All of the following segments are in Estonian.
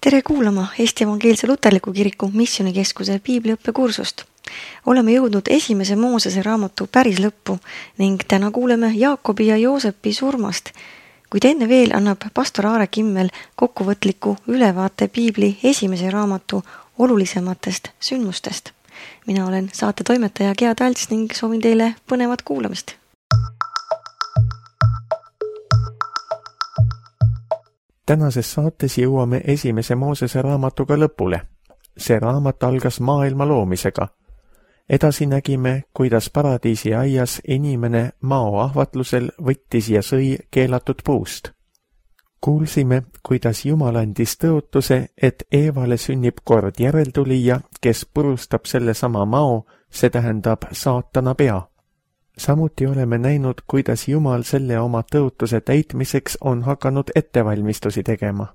Tere kuulama Eesti Evangeelse Luterliku Kiriku Missioonikeskuse piibliõppekursust. Oleme jõudnud esimese Moosese raamatu päris lõppu ning täna kuuleme Jaakobi ja Joosepi surmast, kuid enne veel annab pastor Aare Kimmel kokkuvõtliku ülevaate piibli esimese raamatu olulisematest sündmustest. Mina olen saate toimetaja Gea Talts ning soovin teile põnevat kuulamist. Tänases saates jõuame esimese Moosese raamatuga lõpule. See raamat algas maailma loomisega. Edasi nägime, kuidas paradiisi aias inimene mao ahvatlusel võttis ja sõi keelatud puust. Kuulsime, kuidas Jumal andis tõotuse, et Eevale sünnib kord järeltulija, kes purustab selle sama mao, see tähendab saatana pea. Samuti oleme näinud, kuidas Jumal selle oma tõotuse täitmiseks on hakanud ettevalmistusi tegema.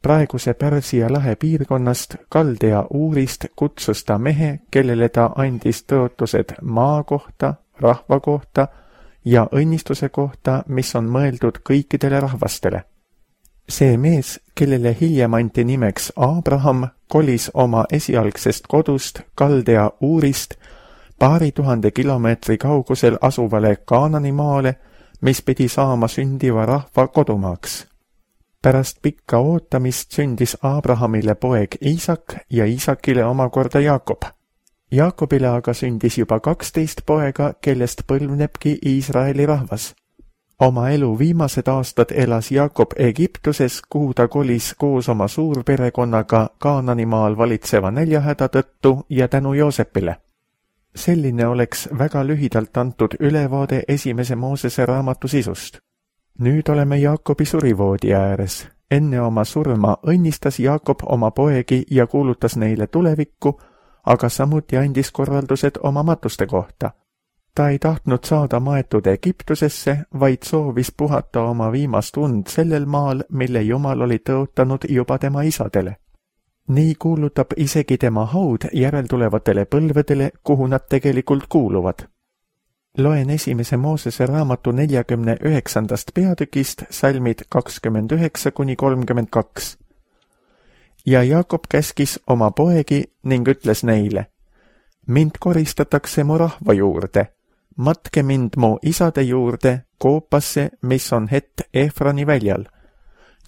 Praeguse Pärsia lahe piirkonnast, Kaldea Uurist, kutsus ta mehe, kellele ta andis tõotused maa kohta, rahva kohta ja õnnistuse kohta, mis on mõeldud kõikidele rahvastele. See mees, kellele hiljem anti nimeks Abraham, kolis oma esialgsest kodust Kaldea Uurist paari 1000 kilomeetri kaugusel asuvale Kaanani maale, mis pidi saama sündiva rahva kodumaaks. Pärast pikka ootamist sündis Abrahamile poeg Iisak ja Iisakile omakorda Jaakob. Jaakobile aga sündis juba 12 poega, kellest põlvnebki Iisraeli rahvas. Oma elu viimased aastad elas Jaakob Egiptuses, kuhu ta kolis koos oma suurperekonnaga Kaananimaal valitseva näljahäda tõttu ja tänu Joosepile. Selline oleks väga lühidalt antud ülevaade esimese Moosese raamatu sisust. Nüüd oleme Jaakobi surivoodi ääres. Enne oma surma õnnistas Jaakob oma poegi ja kuulutas neile tulevikku, aga samuti andis korraldused oma matuste kohta. Ta ei tahtnud saada maetud Egiptusesse, vaid soovis puhata oma viimast und sellel maal, mille Jumal oli tõotanud juba tema isadele. Nii kuulutab isegi tema haud järeltulevatele põlvedele, kuhu nad tegelikult kuuluvad. Loen esimese Moosese raamatu 49. peatükist salmid 29–32. Ja Jaakob käskis oma poegi ning ütles neile: Mind koristatakse mu rahva juurde, matke mind mu isade juurde, koopasse, mis on hett Efroni väljal.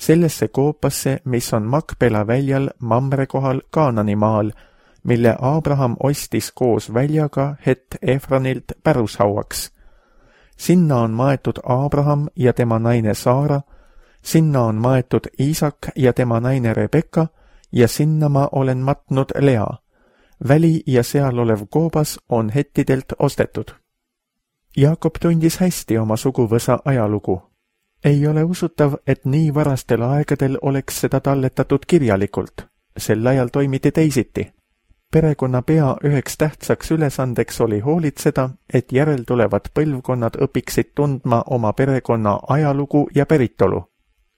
Sellesse koopasse, mis on Makpela väljal Mamre kohal Kaananimaal, mille Abraham ostis koos väljaga hett Efronilt pärushauaks. Sinna on maetud Abraham ja tema naine Saara, sinna on maetud Iisak ja tema naine Rebekka ja sinna ma olen matnud Lea. Väli ja seal olev koobas on hettidelt ostetud. Jaakob tundis hästi oma suguvõsa ajalugu. Ei ole usutav, et nii varastel aegadel oleks seda talletatud kirjalikult. Sel ajal toimiti teisiti. Perekonna pea üheks tähtsaks ülesandeks oli hoolitseda, et järeltulevad põlvkonnad õpiksid tundma oma perekonna ajalugu ja päritolu.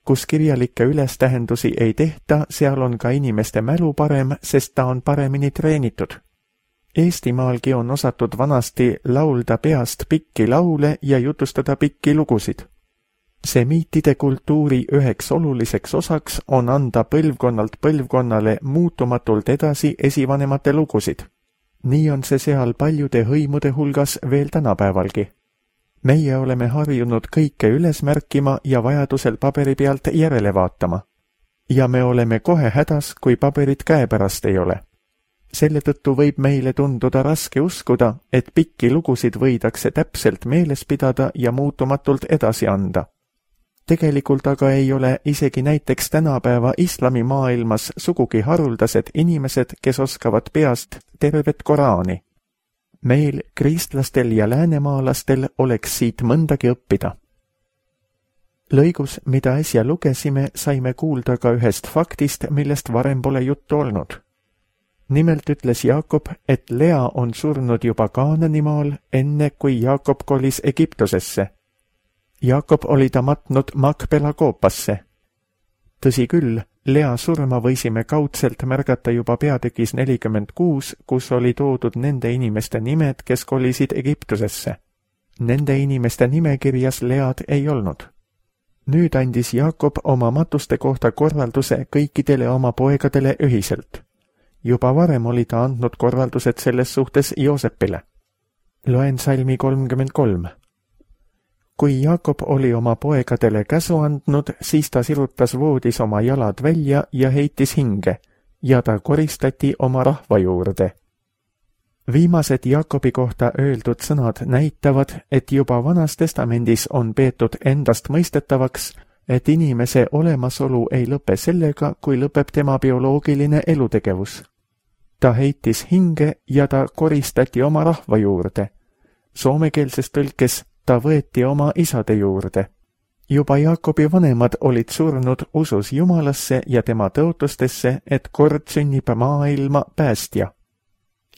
Kus kirjalikke ülestähendusi ei tehta, seal on ka inimeste mälu parem, sest ta on paremini treenitud. Eestimaalgi on osatud vanasti laulda peast pikki laule ja jutustada pikki lugusid. Semiitide kultuuri üheks oluliseks osaks on anda põlvkonnalt põlvkonnale muutumatult edasi esivanemate lugusid. Nii on see seal paljude hõimude hulgas veel tänapäevalgi. Meie oleme harjunud kõike üles märkima ja vajadusel paberi pealt järele vaatama. Ja me oleme kohe hädas, kui paberit käepärast ei ole. Selle tõttu võib meile tunduda raske uskuda, et pikki lugusid võidakse täpselt meeles pidada ja muutumatult edasi anda. Tegelikult aga ei ole isegi näiteks tänapäeva islamimaailmas sugugi haruldased inimesed, kes oskavad peast tervet Koraani. Meil, kristlastel ja läänemaalastel, oleks siit mõndagi õppida. Lõigus, mida äsja lugesime, saime kuulda ka ühest faktist, millest varem pole juttu olnud. Nimelt ütles Jaakob, et Lea on surnud juba Kaananimaal, enne kui Jaakob kolis Egiptusesse. Jaakob oli ta matnud Makpela koopasse. Tõsi küll, Lea surma võisime kaudselt märgata juba peatükis 46, kus oli toodud nende inimeste nimed, kes kolisid Egiptusesse. Nende inimeste nimekirjas Lead ei olnud. Nüüd andis Jaakob oma matuste kohta korralduse kõikidele oma poegadele ühiselt. Juba varem oli ta andnud korraldused selles suhtes Joosepile. Loen salmi 33. Kui Jaakob oli oma poegadele käsu andnud, siis ta sirutas voodis oma jalad välja ja heitis hinge ja ta koristati oma rahva juurde. Viimased Jaakobi kohta öeldud sõnad näitavad, et juba Vanas Testamendis on peetud endast mõistetavaks, et inimese olemasolu ei lõpe sellega, kui lõpeb tema bioloogiline elutegevus. Ta heitis hinge ja ta koristati oma rahva juurde. Soomekeelses tõlkes ta võeti oma isade juurde. Juba Jaakobi vanemad olid surnud usus Jumalasse ja tema tõotustesse, et kord sünnib maailma päästja.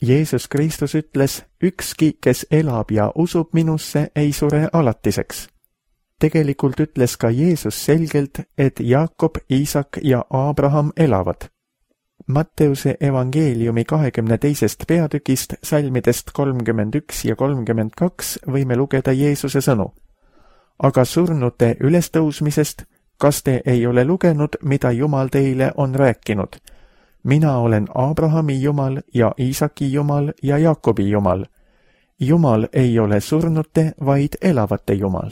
Jeesus Kristus ütles, ükski, kes elab ja usub minusse, ei sure alatiseks. Tegelikult ütles ka Jeesus selgelt, et Jaakob, Iisak ja Abraham elavad. Matteuse evangeeliumi 22. peatükist salmidest 31 ja 32 võime lugeda Jeesuse sõnu. Aga surnute ülestõusmisest, kas te ei ole lugenud, mida Jumal teile on rääkinud? Mina olen Abrahami Jumal ja Iisaki Jumal ja Jaakobi Jumal. Jumal ei ole surnute, vaid elavate Jumal.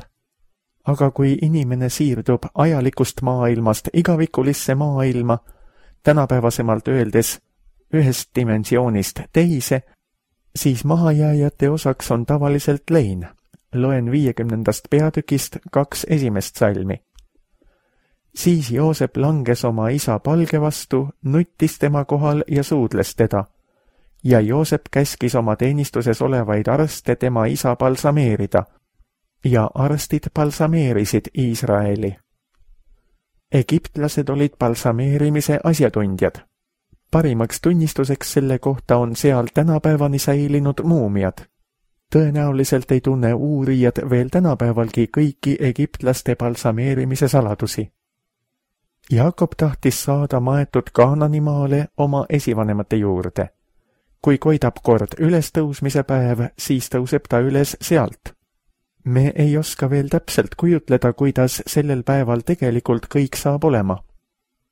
Aga kui inimene siirdub ajalikust maailmast igavikulisse maailma, tänapäevasemalt öeldes ühest dimensioonist teise, siis mahajääjate osaks on tavaliselt lein. Loen 50. peatükist 2 esimest salmi. Siis Joosep langes oma isa palge vastu, nuttis tema kohal ja suudles teda. Ja Joosep käskis oma teenistuses olevaid arste tema isa balsameerida. Ja arstid balsameerisid Iisraeli. Egiptlased olid balsameerimise asjatundjad. Parimaks tunnistuseks selle kohta on seal tänapäevani säilinud muumiad. Tõenäoliselt ei tunne uurijad veel tänapäevalgi kõiki egiptlaste balsameerimise saladusi. Jaakob tahtis saada maetud Kaananimaale oma esivanemate juurde. Kui koidab kord ülestõusmise päev, siis tõuseb ta üles sealt. Me ei oska veel täpselt kujutleda, kuidas sellel päeval tegelikult kõik saab olema.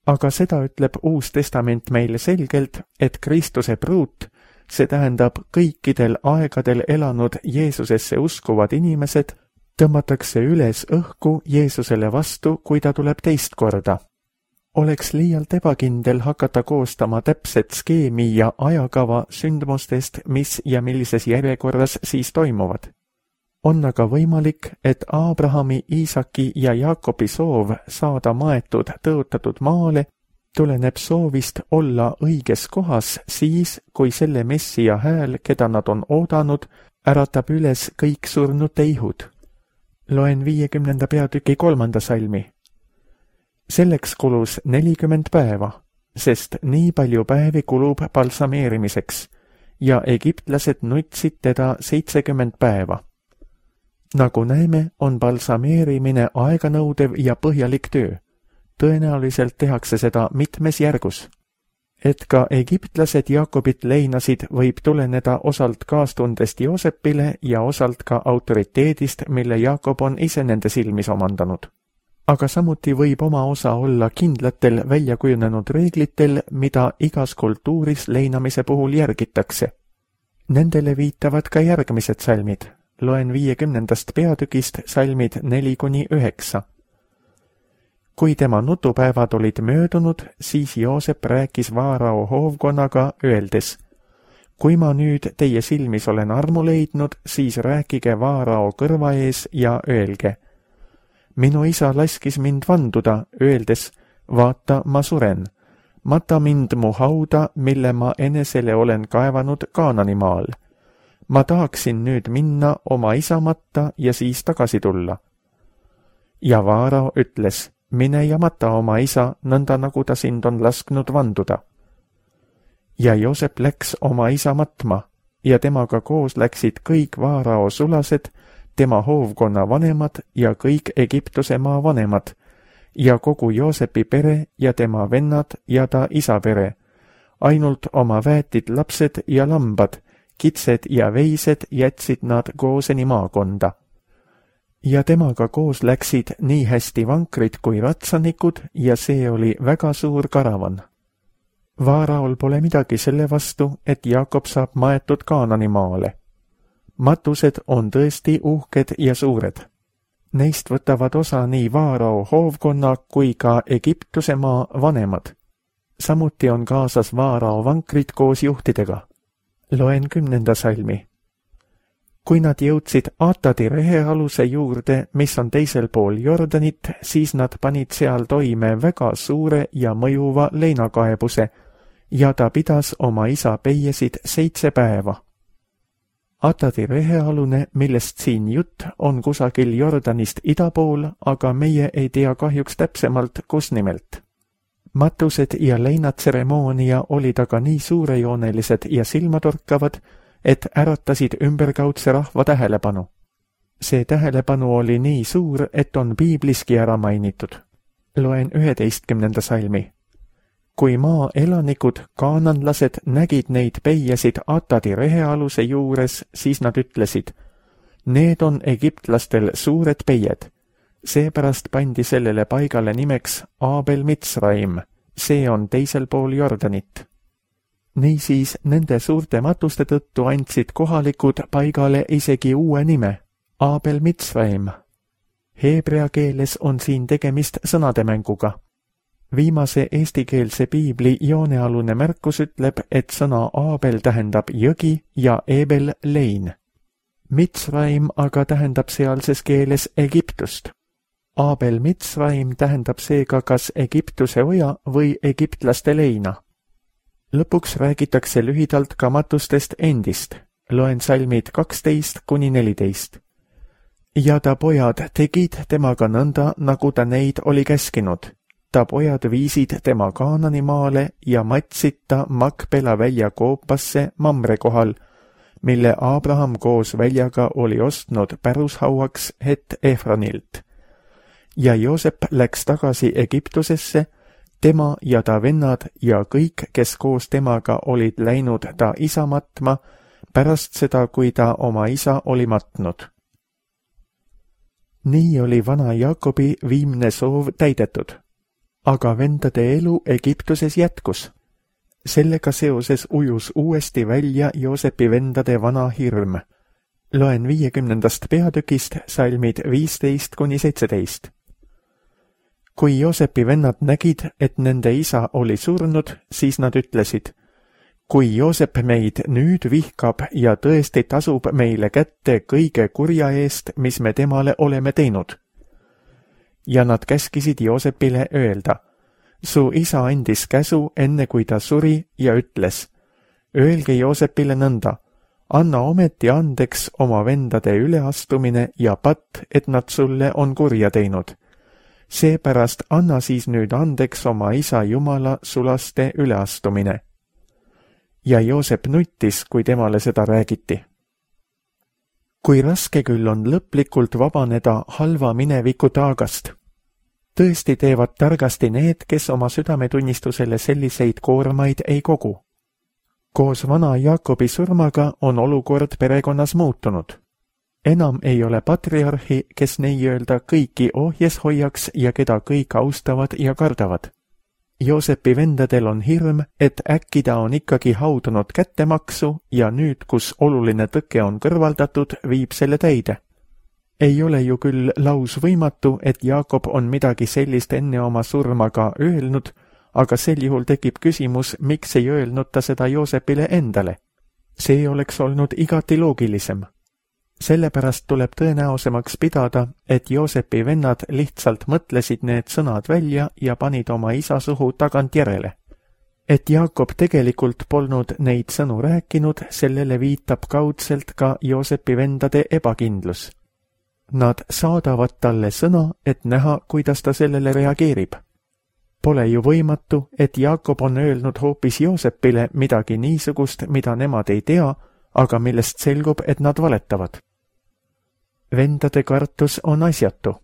Aga seda ütleb Uus Testament meile selgelt, et Kristuse pruut, see tähendab kõikidel aegadel elanud Jeesusesse uskuvad inimesed, tõmmatakse üles õhku Jeesusele vastu, kui ta tuleb teist korda. Oleks liialt ebakindel hakata koostama täpset skeemi ja ajakava sündmustest, mis ja millises järjekorras siis toimuvad. On aga võimalik, et Abrahami, Iisaki ja Jaakobi soov saada maetud tõotatud maale tuleneb soovist olla õiges kohas siis, kui selle Messia hääl, keda nad on oodanud, äratab üles kõik surnute ihud. Loen 50. peatüki 3. salmi. Selleks kulus 40 päeva, sest nii palju päevi kulub balsameerimiseks ja egiptlased nutsid teda 70 päeva. Nagu näeme, on balsameerimine aeganõudev ja põhjalik töö. Tõenäoliselt tehakse seda mitmes järgus. Et ka egiptlased Jaakobit leinasid, võib tuleneda osalt kaastundest Joosepile ja osalt ka autoriteedist, mille Jaakob on ise nende silmis omandanud. Aga samuti võib oma osa olla kindlatel väljakujunenud reeglitel, mida igas kultuuris leinamise puhul järgitakse. Nendele viitavad ka järgmised salmid. Loen 50. peatükist salmid 4-9. Kui tema nutupäevad olid möödunud, siis Joosep rääkis Vaarao hoovkonnaga, öeldes: Kui ma nüüd teie silmis olen armu leidnud, siis rääkige Vaarao kõrva ees ja öelge: Minu isa laskis mind vanduda, öeldes: Vaata, ma suren. Mata mind mu hauda, mille ma enesele olen kaevanud Kaananimaal. Ma tahaksin nüüd minna oma isa matta ja siis tagasi tulla. Ja Vaarao ütles: Mine ja mata oma isa, nõnda nagu ta sind on lasknud vanduda. Ja Joosep läks oma isa matma ja temaga koos läksid kõik Vaarao sulased, tema hoovkonna vanemad ja kõik Egiptuse maa vanemad ja kogu Joosepi pere ja tema vennad ja ta isa pere, ainult oma väetid lapsed ja lambad, kitsed ja veised jätsid nad Gooseni maakonda. ja temaga koos läksid nii hästi vankrid kui ratsanikud ja see oli väga suur karavan. Vaaraol pole midagi selle vastu, et Jaakob saab maetud Kaanani maale. Matused on tõesti uhked ja suured. Neist võtavad osa nii Vaarao hoovkonna kui ka Egiptuse maa vanemad. Samuti on kaasas Vaarao vankrid koos juhtidega. Loen 10. salmi. Kui nad jõudsid Atadi rehealuse juurde, mis on teisel pool Jordanit, siis nad panid seal toime väga suure ja mõjuva leinakaebuse ja ta pidas oma isa peiesid 7 päeva. Atadi rehealune, millest siin jutt, on kusagil Jordanist ida pool, aga meie ei tea kahjuks täpsemalt, kus nimelt. Matused ja leinatseremoonia olid aga nii suurejoonelised ja silmatorkavad, et äratasid ümberkaudse rahva tähelepanu. See tähelepanu oli nii suur, et on piibliski ära mainitud. Loen 11. salmi. Kui maa elanikud, kaananlased, nägid neid peiesid Atadi rehealuse juures, siis nad ütlesid, need on egiptlastel suured peied. Seepärast pandi sellele paigale nimeks Abel Mitsraim, see on teisel pool Jordanit. Niisiis nende suurte matuste tõttu andsid kohalikud paigale isegi uue nime, Abel Mitsraim. Heebrea keeles on siin tegemist sõnademänguga. Viimase eestikeelse piibli joonealune märkus ütleb, et sõna Abel tähendab jõgi ja Ebel lein. Mitsraim aga tähendab sealses keeles Egiptust. Abel Mitsraim tähendab seega kas Egiptuse oja või egiptlaste leina. Lõpuks räägitakse lühidalt ka matustest endist. Loen salmid 12–14. Ja ta pojad tegid temaga nõnda, nagu ta neid oli käskinud. Ta pojad viisid tema Kaanani maale ja matsid ta Makpela välja koopasse Mamre kohal, mille Abraham koos väljaga oli ostnud pärushauaks het Efronilt. Ja Joosep läks tagasi Egiptusesse, tema ja ta vennad ja kõik, kes koos temaga olid läinud ta isa matma, pärast seda, kui ta oma isa oli matnud. Nii oli vana Jaakobi viimne soov täidetud. Aga vendade elu Egiptuses jätkus. Sellega seoses ujus uuesti välja Joosepi vendade vana hirm. Loen 50. peatükist salmid 15–17. Kui Joosepi vennad nägid, et nende isa oli surnud, siis nad ütlesid, kui Joosep meid nüüd vihkab ja tõesti tasub meile kätte kõige kurja eest, mis me temale oleme teinud. Ja nad käskisid Joosepile öelda, su isa andis käsu enne kui ta suri ja ütles, öelge Joosepile nõnda, anna ometi andeks oma vendade üleastumine ja patt, et nad sulle on kurja teinud. Seepärast anna siis nüüd andeks oma isa Jumala sulaste üleastumine. Ja Joosep nuttis, kui temale seda räägiti. Kui raske küll on lõplikult vabaneda halva mineviku taagast. Tõesti teevad targasti need, kes oma südametunnistusele selliseid koormaid ei kogu. Koos vana Jaakobi surmaga on olukord perekonnas muutunud. Enam ei ole patriarhi, kes nii-öelda kõiki ohjes hoiaks ja keda kõik austavad ja kardavad. Joosepi vendadel on hirm, et äkki ta on ikkagi haudunud kättemaksu ja nüüd, kus oluline tõke on kõrvaldatud, viib selle täide. Ei ole ju küll laus võimatu, et Jaakob on midagi sellist enne oma surma ka öelnud, aga sel juhul tekib küsimus, miks ei öelnud ta seda Joosepile endale. See oleks olnud igati loogilisem. Sellepärast tuleb tõenäosemaks pidada, et Joosepi vennad lihtsalt mõtlesid need sõnad välja ja panid oma isa suhu tagantjärele. Et Jaakob tegelikult polnud neid sõnu rääkinud, sellele viitab kaudselt ka Joosepi vendade ebakindlus. Nad saadavad talle sõna, et näha, kuidas ta sellele reageerib. Pole ju võimatu, et Jaakob on öelnud hoopis Joosepile midagi niisugust, mida nemad ei tea, aga millest selgub, et nad valetavad. Vendade kartus on asjatu.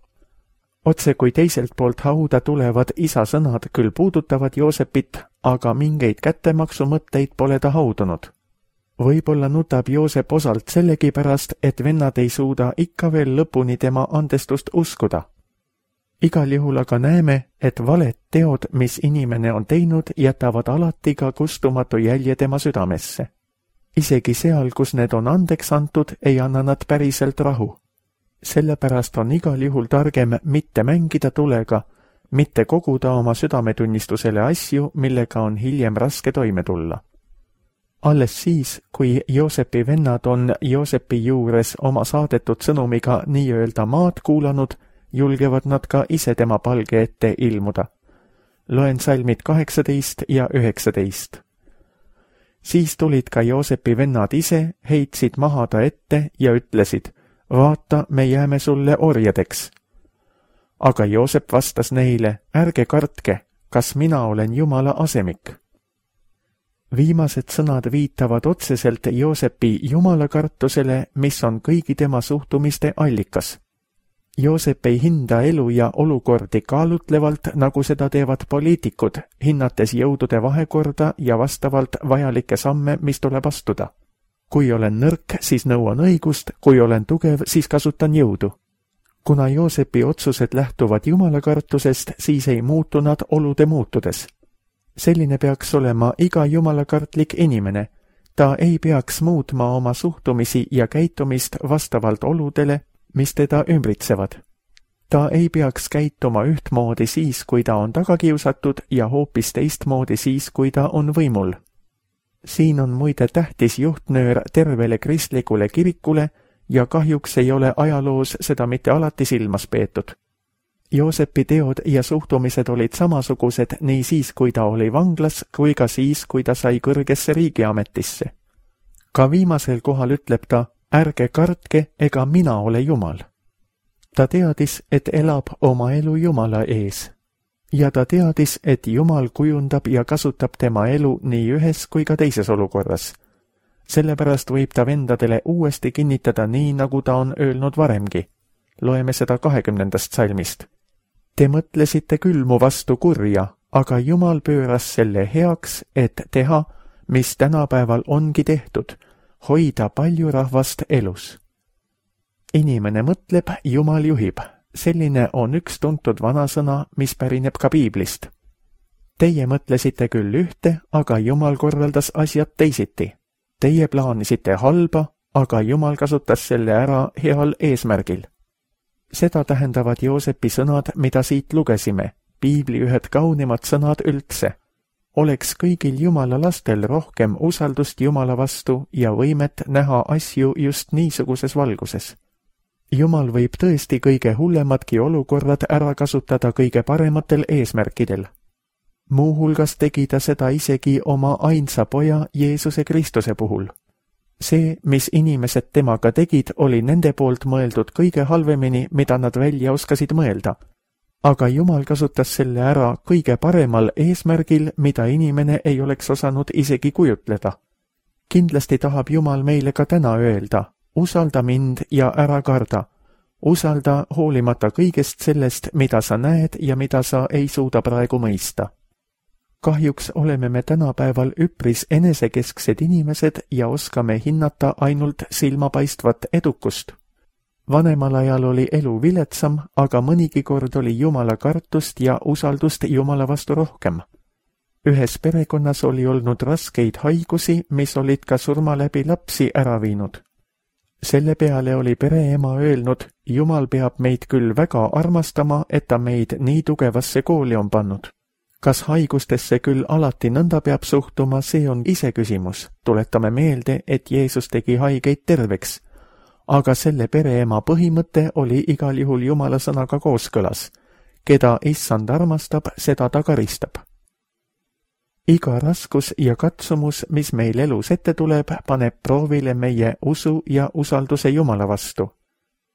Otse kui teiselt poolt hauda tulevad isa sõnad küll puudutavad Joosepit, aga mingeid kättemaksu mõtteid pole ta haudunud. Võib-olla nutab Joosep osalt sellegipärast, et vennad ei suuda ikka veel lõpuni tema andestust uskuda. Igal juhul aga näeme, et valed teod, mis inimene on teinud, jätavad alati ka kustumatu jälje tema südamesse. Isegi seal, kus need on andeks antud, ei anna nad päriselt rahu. Sellepärast on igal juhul targem mitte mängida tulega, mitte koguda oma südametunnistusele asju, millega on hiljem raske toime tulla. Alles siis, kui Joosepi vennad on Joosepi juures oma saadetud sõnumiga nii-öelda maad kuulanud, julgevad nad ka ise tema palge ette ilmuda. Loen salmid 18 ja 19. Siis tulid ka Joosepi vennad ise, heitsid maha ta ette ja ütlesid, vaata, me jääme sulle orjadeks. Aga Joosep vastas neile, ärge kartke, kas mina olen Jumala asemik. Viimased sõnad viitavad otseselt Joosepi jumalakartusele, mis on kõigi tema suhtumiste allikas. Joosep ei hinda elu ja olukordi kaalutlevalt, nagu seda teevad poliitikud, hinnates jõudude vahekorda ja vastavalt vajalikke samme, mis tuleb astuda. Kui olen nõrk, siis nõuan õigust, kui olen tugev, siis kasutan jõudu. Kuna Joosepi otsused lähtuvad jumalakartusest, siis ei muutu nad olude muutudes. Selline peaks olema iga jumalakartlik inimene. Ta ei peaks muutma oma suhtumisi ja käitumist vastavalt oludele, mis teda ümbritsevad. Ta ei peaks käituma ühtmoodi siis, kui ta on tagakiusatud ja hoopis teistmoodi siis, kui ta on võimul. Siin on muide tähtis juhtnöör tervele kristlikule kirikule ja kahjuks ei ole ajaloos seda mitte alati silmas peetud. Joosepi teod ja suhtumised olid samasugused nii siis, kui ta oli vanglas, kui ka siis, kui ta sai kõrgesse riigiametisse. Ka viimasel kohal ütleb ta, ärge kartke, ega mina ole Jumal. Ta teadis, et elab oma elu Jumala ees. Ja ta teadis, et Jumal kujundab ja kasutab tema elu nii ühes kui ka teises olukorras. Sellepärast võib ta vendadele uuesti kinnitada nii, nagu ta on öelnud varemgi. Loeme seda 20. salmist. Te mõtlesite küll mu vastu kurja, aga Jumal pööras selle heaks, et teha, mis tänapäeval ongi tehtud, hoida palju rahvast elus. Inimene mõtleb, Jumal juhib. Selline on üks tuntud vanasõna, mis pärineb ka Piiblist. Teie mõtlesite küll ühte, aga Jumal korraldas asjad teisiti. Teie plaanisite halba, aga Jumal kasutas selle ära heal eesmärgil. Seda tähendavad Joosepi sõnad, mida siit lugesime, Piibli ühed kaunimad sõnad üldse. Oleks kõigil Jumala lastel rohkem usaldust Jumala vastu ja võimet näha asju just niisuguses valguses. Jumal võib tõesti kõige hullemadki olukorrad ära kasutada kõige parematel eesmärkidel. Muuhulgas tegi ta seda isegi oma ainsa poja Jeesuse Kristuse puhul. See, mis inimesed temaga tegid, oli nende poolt mõeldud kõige halvemini, mida nad välja oskasid mõelda. Aga Jumal kasutas selle ära kõige paremal eesmärgil, mida inimene ei oleks osanud isegi kujutleda. Kindlasti tahab Jumal meile ka täna öelda, usalda mind ja ära karda. Usalda hoolimata kõigest sellest, mida sa näed ja mida sa ei suuda praegu mõista. Kahjuks oleme me tänapäeval üpris enesekesksed inimesed ja oskame hinnata ainult silmapaistvat edukust. Vanemal ajal oli elu viletsam, aga mõnigi kord oli Jumala kartust ja usaldust Jumala vastu rohkem. Ühes perekonnas oli olnud raskeid haigusi, mis olid ka surma läbi lapsi ära viinud. Selle peale oli pereema öelnud, Jumal peab meid küll väga armastama, et ta meid nii tugevasse kooli on pannud. Kas haigustesse küll alati nõnda peab suhtuma, see on iseküsimus. Tuletame meelde, et Jeesus tegi haigeid terveks. Aga selle pereema põhimõte oli igal juhul Jumala sõnaga kooskõlas. Keda issand armastab, seda ta karistab. Iga raskus ja katsumus, mis meil elus ette tuleb, paneb proovile meie usu ja usalduse Jumala vastu.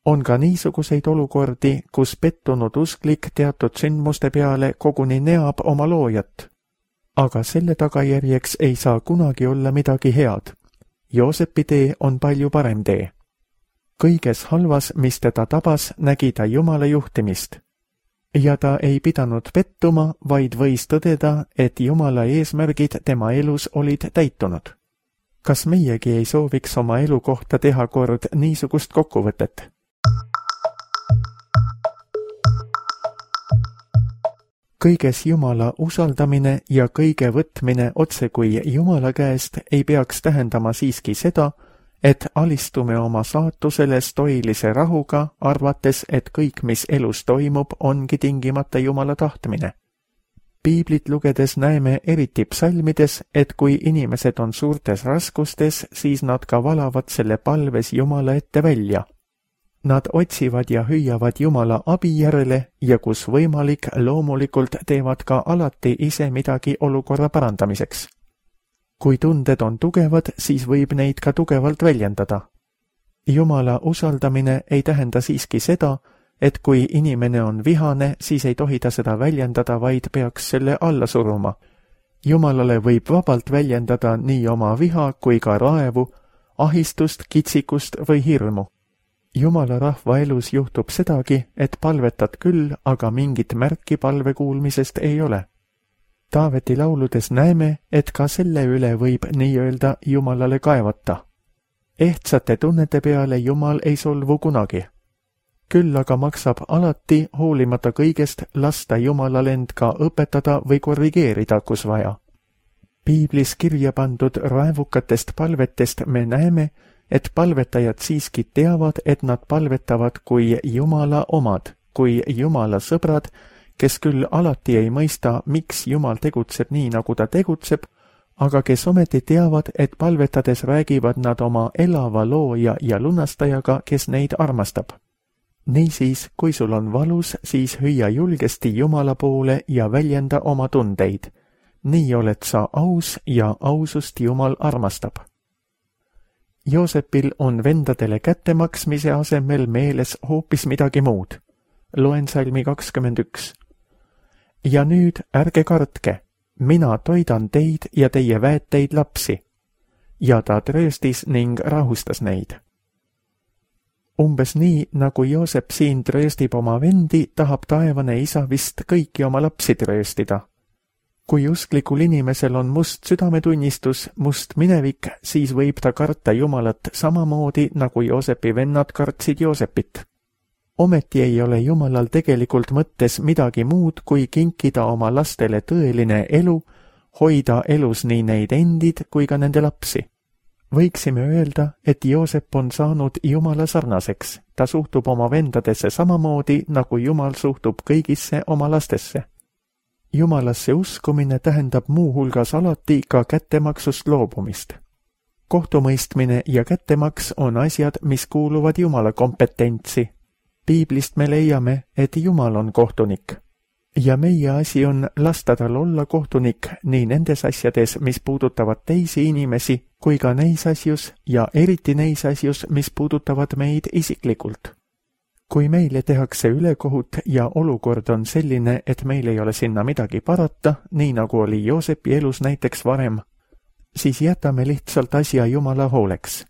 On ka niisuguseid olukordi, kus pettunud usklik teatud sündmuste peale koguni neab oma loojat. Aga selle tagajärjeks ei saa kunagi olla midagi head. Joosepi tee on palju parem tee. Kõiges halvas, mis teda tabas, nägi ta Jumala juhtimist. Ja ta ei pidanud pettuma, vaid võis tõdeda, et Jumala eesmärgid tema elus olid täitunud. Kas meiegi ei sooviks oma elu kohta teha kord niisugust kokkuvõtet? Kõiges Jumala usaldamine ja kõige võtmine otse kui Jumala käest ei peaks tähendama siiski seda, et alistume oma saatusele stoilise rahuga, arvates, et kõik, mis elus toimub, ongi tingimata Jumala tahtmine. Piiblit lugedes näeme eriti psalmides, et kui inimesed on suurtes raskustes, siis nad ka valavad selle palves Jumala ette välja. Nad otsivad ja hüüavad Jumala abi järele ja kus võimalik, loomulikult teevad ka alati ise midagi olukorra parandamiseks. Kui tunded on tugevad, siis võib neid ka tugevalt väljendada. Jumala usaldamine ei tähenda siiski seda, et kui inimene on vihane, siis ei tohi ta seda väljendada, vaid peaks selle alla suruma. Jumalale võib vabalt väljendada nii oma viha kui ka raevu, ahistust, kitsikust või hirmu. Jumala rahva elus juhtub sedagi, et palvetad küll, aga mingit märki palve kuulmisest ei ole. Taaveti lauludes näeme, et ka selle üle võib nii-öelda Jumalale kaevata. Ehtsate tunnete peale Jumal ei solvu kunagi. Küll aga maksab alati, hoolimata kõigest, lasta Jumalal end ka õpetada või korrigeerida, kus vaja. Piiblis kirja pandud raevukatest palvetest me näeme, et palvetajad siiski teavad, et nad palvetavad kui Jumala omad, kui Jumala sõbrad, kes küll alati ei mõista, miks Jumal tegutseb nii, nagu ta tegutseb, aga kes ometi teavad, et palvetades räägivad nad oma elava looja ja lunastajaga, kes neid armastab. Niisiis, kui sul on valus, siis hüüa julgesti Jumala poole ja väljenda oma tundeid. Nii oled sa aus ja ausust Jumal armastab. Joosepil on vendadele kättemaksmise asemel meeles hoopis midagi muud. Loen salmi 21. Ja nüüd ärge kartke, mina toidan teid ja teie väeteid lapsi. Ja ta trööstis ning rahustas neid. Umbes nii, nagu Joosep siin trööstib oma vendi, tahab taevane isa vist kõiki oma lapsi trööstida. Kui usklikul inimesel on must südametunnistus, must minevik, siis võib ta karta Jumalat samamoodi, nagu Joosepi vennad kartsid Joosepit. Ometi ei ole Jumalal tegelikult mõttes midagi muud, kui kinkida oma lastele tõeline elu, hoida elus nii neid endid kui ka nende lapsi. Võiksime öelda, et Joosep on saanud Jumala sarnaseks. Ta suhtub oma vendadesse samamoodi, nagu Jumal suhtub kõigisse oma lastesse. Jumalasse uskumine tähendab muu hulgas alati ka kättemaksust loobumist. Kohtumõistmine ja kättemaks on asjad, mis kuuluvad Jumala kompetentsi. Piiblist me leiame, et Jumal on kohtunik. Ja meie asi on lasta tal olla kohtunik nii nendes asjades, mis puudutavad teisi inimesi, kui ka neis asjus ja eriti neis asjus, mis puudutavad meid isiklikult. Kui meile tehakse ülekohut ja olukord on selline, et meil ei ole sinna midagi parata, nii nagu oli Joosepi elus näiteks varem, siis jätame lihtsalt asja Jumala hooleks.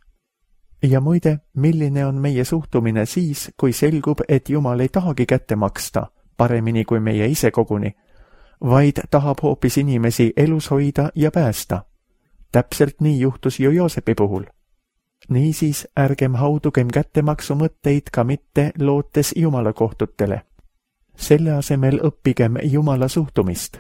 Ja muide, milline on meie suhtumine siis, kui selgub, et Jumal ei tahagi kätte maksta, paremini kui meie ise koguni, vaid tahab hoopis inimesi elus hoida ja päästa. Täpselt nii juhtus ju Joosepi puhul. Niisiis ärgem haudugem kättemaksu mõtteid ka mitte lootes Jumala kohtutele. Selle asemel õppigem Jumala suhtumist.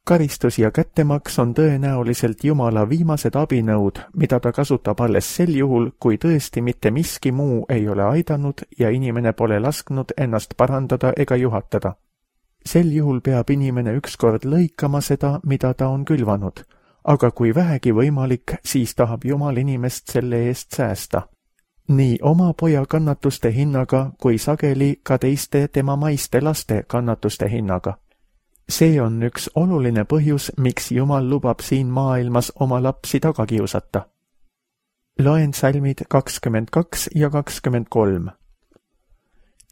Karistus ja kättemaks on tõenäoliselt Jumala viimased abinõud, mida ta kasutab alles sel juhul, kui tõesti mitte miski muu ei ole aidanud ja inimene pole lasknud ennast parandada ega juhatada. Sel juhul peab inimene ükskord lõikama seda, mida ta on külvanud, aga kui vähegi võimalik, siis tahab Jumal inimest selle eest säästa. Nii oma poja kannatuste hinnaga, kui sageli ka teiste tema maiste laste kannatuste hinnaga. See on üks oluline põhjus, miks Jumal lubab siin maailmas oma lapsi taga kiusata. Loen salmid 22 ja 23.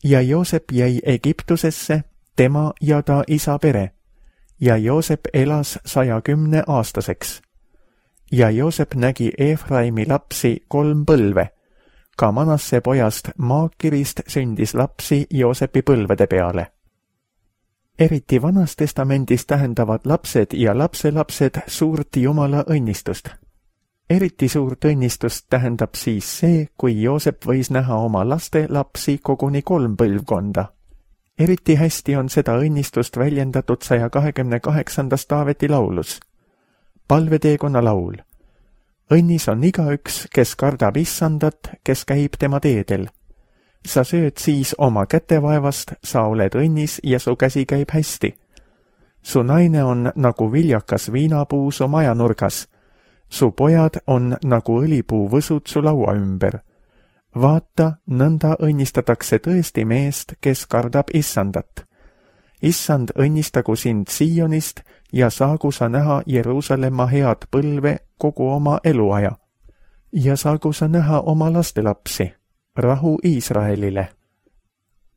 Ja Joosep jäi Egiptusesse, tema ja ta isa pere, ja Joosep elas 110 aastaseks. Ja Joosep nägi Efraimi lapsi 3 põlve. Ka Manasse pojast Maakirist sündis lapsi Joosepi põlvede peale. Eriti Vanas Testamendis tähendavad lapsed ja lapselapsed suurt Jumala õnnistust. Eriti suurt õnnistust tähendab siis see, kui Joosep võis näha oma laste lapsi koguni 3 põlvkonda. Eriti hästi on seda õnnistust väljendatud 128. Taaveti laulus. Palveteekonna laul. Õnnis on igaüks, kes kardab Issandat, kes käib tema teedel. Sa sööd siis oma kätevaevast, sa oled õnnis ja su käsi käib hästi. Su naine on nagu viljakas viinapuu su majanurgas. Su pojad on nagu õlipuu võsud su laua ümber. Vaata, nõnda õnnistatakse tõesti meest, kes kardab Issandat. Issand õnnistagu sind Siionist ja saagu sa näha Jeruusalemma head põlve kogu oma eluaja. Ja saagu sa näha oma lastelapsi, rahu Iisraelile.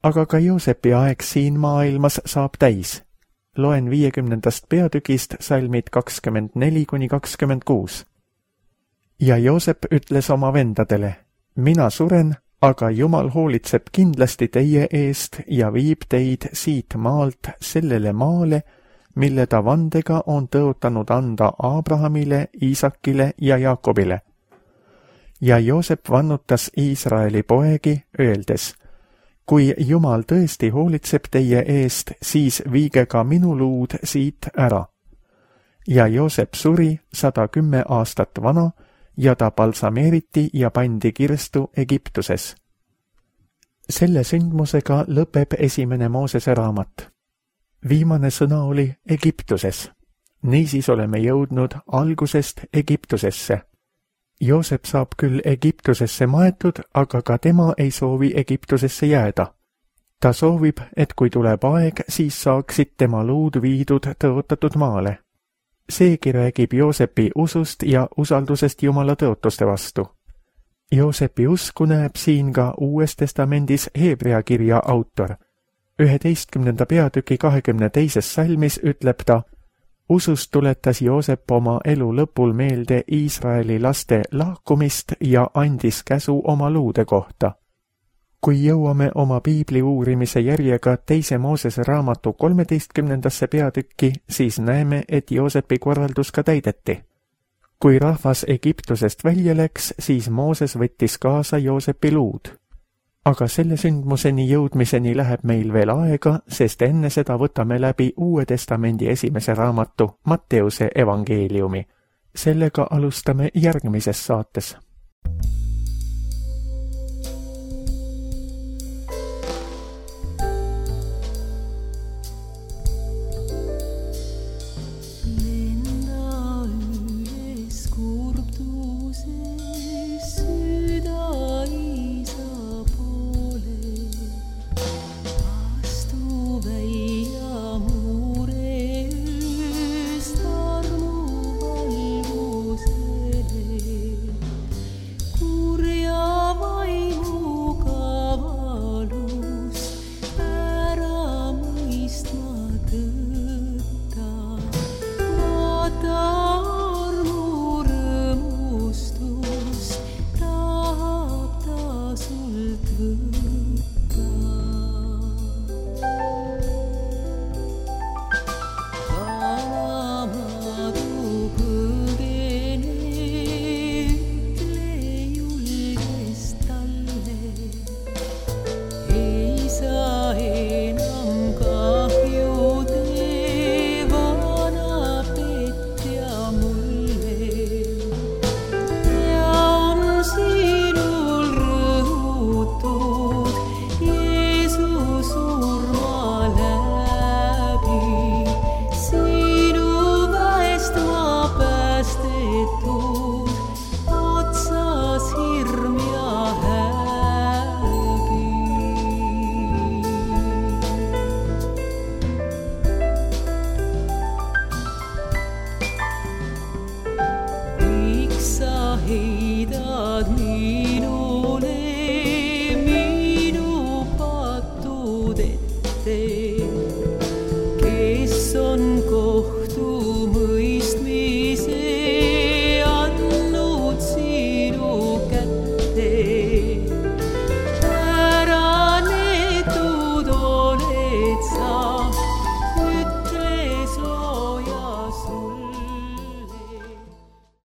Aga ka Joosepi aeg siin maailmas saab täis. Loen 50. peatükist salmid 24–26. Ja Joosep ütles oma vendadele, mina suren, aga Jumal hoolitseb kindlasti teie eest ja viib teid siit maalt sellele maale, mille ta vandega on tõotanud anda Abrahamile, Iisakile ja Jaakobile. Ja Joosep vannutas Iisraeli poegi, öeldes, kui Jumal tõesti hoolitseb teie eest, siis viige ka minu luud siit ära. Ja Joosep suri 110 aastat vana ja ta balsameeriti ja pandi kirstu Egiptuses. Selle sündmusega lõpeb esimene Moosese raamat. Viimane sõna oli Egiptuses. Niisiis oleme jõudnud algusest Egiptusesse. Joosep saab küll Egiptusesse maetud, aga ka tema ei soovi Egiptusesse jääda. Ta soovib, et kui tuleb aeg, siis saaksid tema luud viidud tõotatud maale. Seegi räägib Joosepi usust ja usaldusest Jumala tõotuste vastu. Joosepi usku näeb siin ka Uues Testamendis Hebrea kirja autor. 11. peatüki 22. salmis ütleb ta, usust tuletas Joosep oma elu lõpul meelde Iisraeli laste lahkumist ja andis käsu oma luude kohta. Kui jõuame oma piibli uurimise järjega 2. Moosese raamatu 13. peatükki, siis näeme, et Joosepi korraldus ka täideti. Kui rahvas Egiptusest välja läks, siis Mooses võttis kaasa Joosepi luud. Aga selle sündmuseni jõudmiseni läheb meil veel aega, sest enne seda võtame läbi Uue Testamendi 1. raamatu Matteuse evangeeliumi. Sellega alustame järgmises saates.